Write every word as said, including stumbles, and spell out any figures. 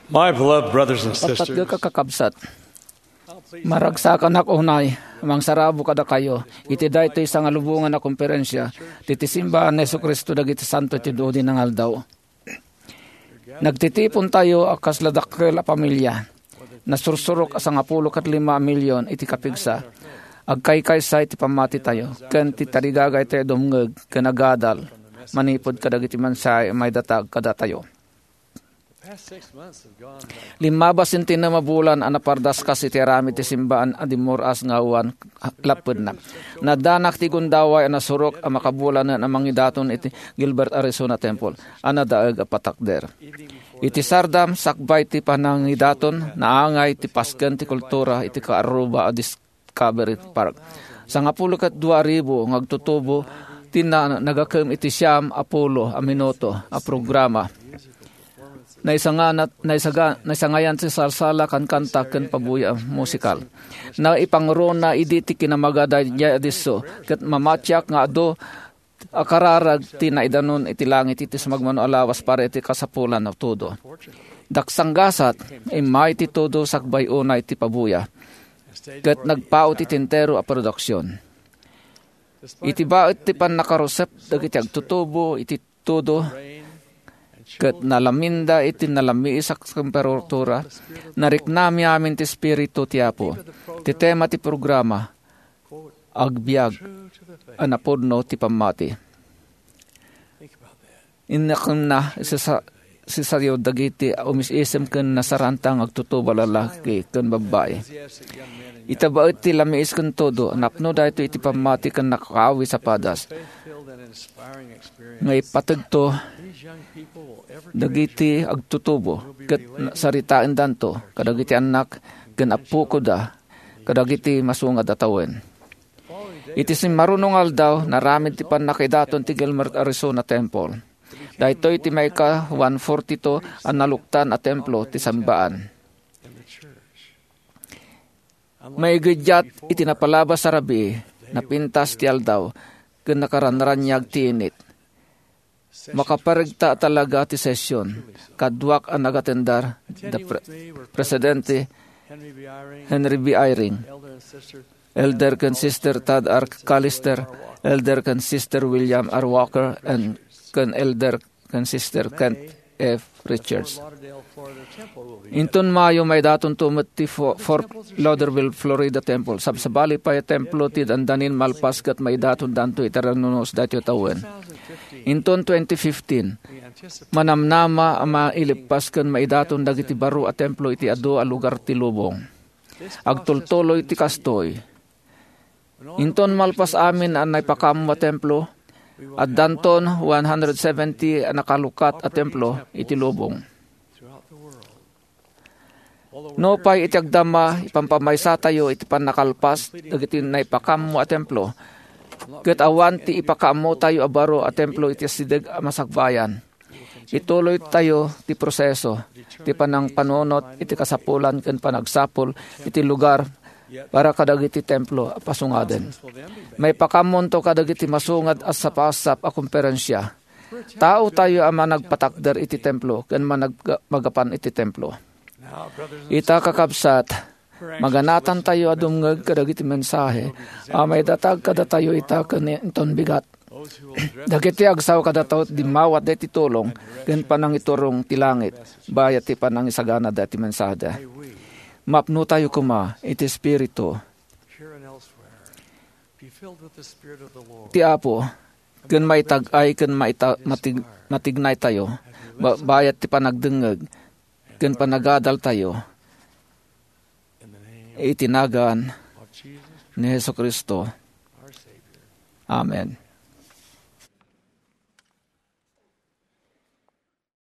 My beloved brothers and sisters, Patpatgek a kakabsat, maragsakanak unay mangsarabo kadakayo iti daytoy sangalubongan a komperensia ti, ti Simbaan ni Jesu-Cristo dagiti Santo ti Dudi nga Aldaw. Nagtitipon tayo a kasla dakkel a pamilia. Nasursurok a sangapulo ket lima a milion iti kapigsa. Agkaykaysa iti pammati tayo, ken ti tarigagay tayo dumngeg ken agadal manipud kadagiti mensahe a maidatag kadatayo. Limmabas ti intinem a bulan a napardaskas iti aramid ti simbaan a dimmur-as nga awan lappedna. Naddanak ti gundaway a nasurok a makabulanen a mangidaton iti Gilbert, Arizona Temple a nadaeg a patakder. Iti sardam, sakbay ti panangidaton, naangay ti pasken ti kultura iti Kaaruba a Discovery Park. Sangapulo ket dua ribu nga agtutubo ti na-, nagakem iti siam a pulo a minuto a programa. Naisangana-, naisaga-, naisangayan ti salsala, kankanta, ken pabuya a musikal. Naipangurona idi ti kinamaga daydiay a disso, ket mamatiak nga adu a kararag ti naidanon iti langit iti sumagmamano a lawas para iti kasapulan a tudo. Daksanggasat, immay ti tudo sakbay unay ti pabuya, ket nagpaut iti entero a produksion. Iti baet ti pannakarusep dagiti agtutubo iti tudo, ket nalaminda iti nalamiis a temperatura, nariknami amin ti Espiritu ti Apo. Ti tema ti programa, agbiag a napudno ti pammati. Innakenna, sisa-, sisayo dagiti umis-isem ken nasaranta nga agtutubo a lalaki ken babbai. Ita baet ti lamiis ken tudo, napno daytoy iti pammati ken nakaawis a padas. Nga ipategto dagiti agtutubo ket saritaendanto kadagiti annak ken appokoda kadagiti masungad a tawen. Iti simmaruno nga aldaw, naramid ti pannakaidaton ti Gilbert, Arizona Temple. Daytoy ti maika one forty-two a naluktan a templo ti sambaan. Maigiddiat iti napalabas a rabii, napintas ti aldaw, ken nakaranraniag ti init. Makaparegta talaga ti session. Kaduak a nagatendar, the pre-, Presidente Henry B. Eyring, Elder ken Sister Todd R. Callister, Elder ken Sister William R. Walker, and ken Elder ken Sister Kent F. Richards. Inton Mayo, maidatonto met ti Fo-, Fort Lauderdale, Florida Temple. Sabsabali pay a templo ti dandanin malpas ket maidatondanto iti rannunos daytoy a tawen. Inton twenty fifteen, manamnama a mailippas ken maidaton dagiti baro a templo iti adu a lugar ti lubong. Agtultuloy ti kastoy. Inton malpas amin a naipakammo a templo, addanton one hundred seventy a nakalukat a templo iti lubong. Nupay iti agdama, ipampamaysatayo iti pannakalpas dagiti naipakammo a templo, ket awan ti ipakammotayo a baro a templo iti asideg a masakbayan. Ituloytayo ti proseso ti panangpanunot iti kasapulan ken panagsapul iti lugar para kadagiti templo a pasungaden. Maipakaammonto kadagiti masungad a sapasap a komperensia. Taotayo a managpatakder iti templo ken manag-, magapan iti templo. Ita, kakabsat, maganatantayo a dumngeg kadagiti mensahe a maidatag kadatayo ita ken inton bigat. Dagiti agsao kadatayo dimmawat daytoy tulong ken panangiturong ti langit, bayat ti panangisagana daytoy mensaheda. Mapnotayo koma iti Espiritu ti Apo, ken maitag-ay ken maita-, matig-, matignaytayo, ba-, bayat ti panagdengngeg ken panagadaltayo. Iti nagan ni Jesu-Cristo. Amen.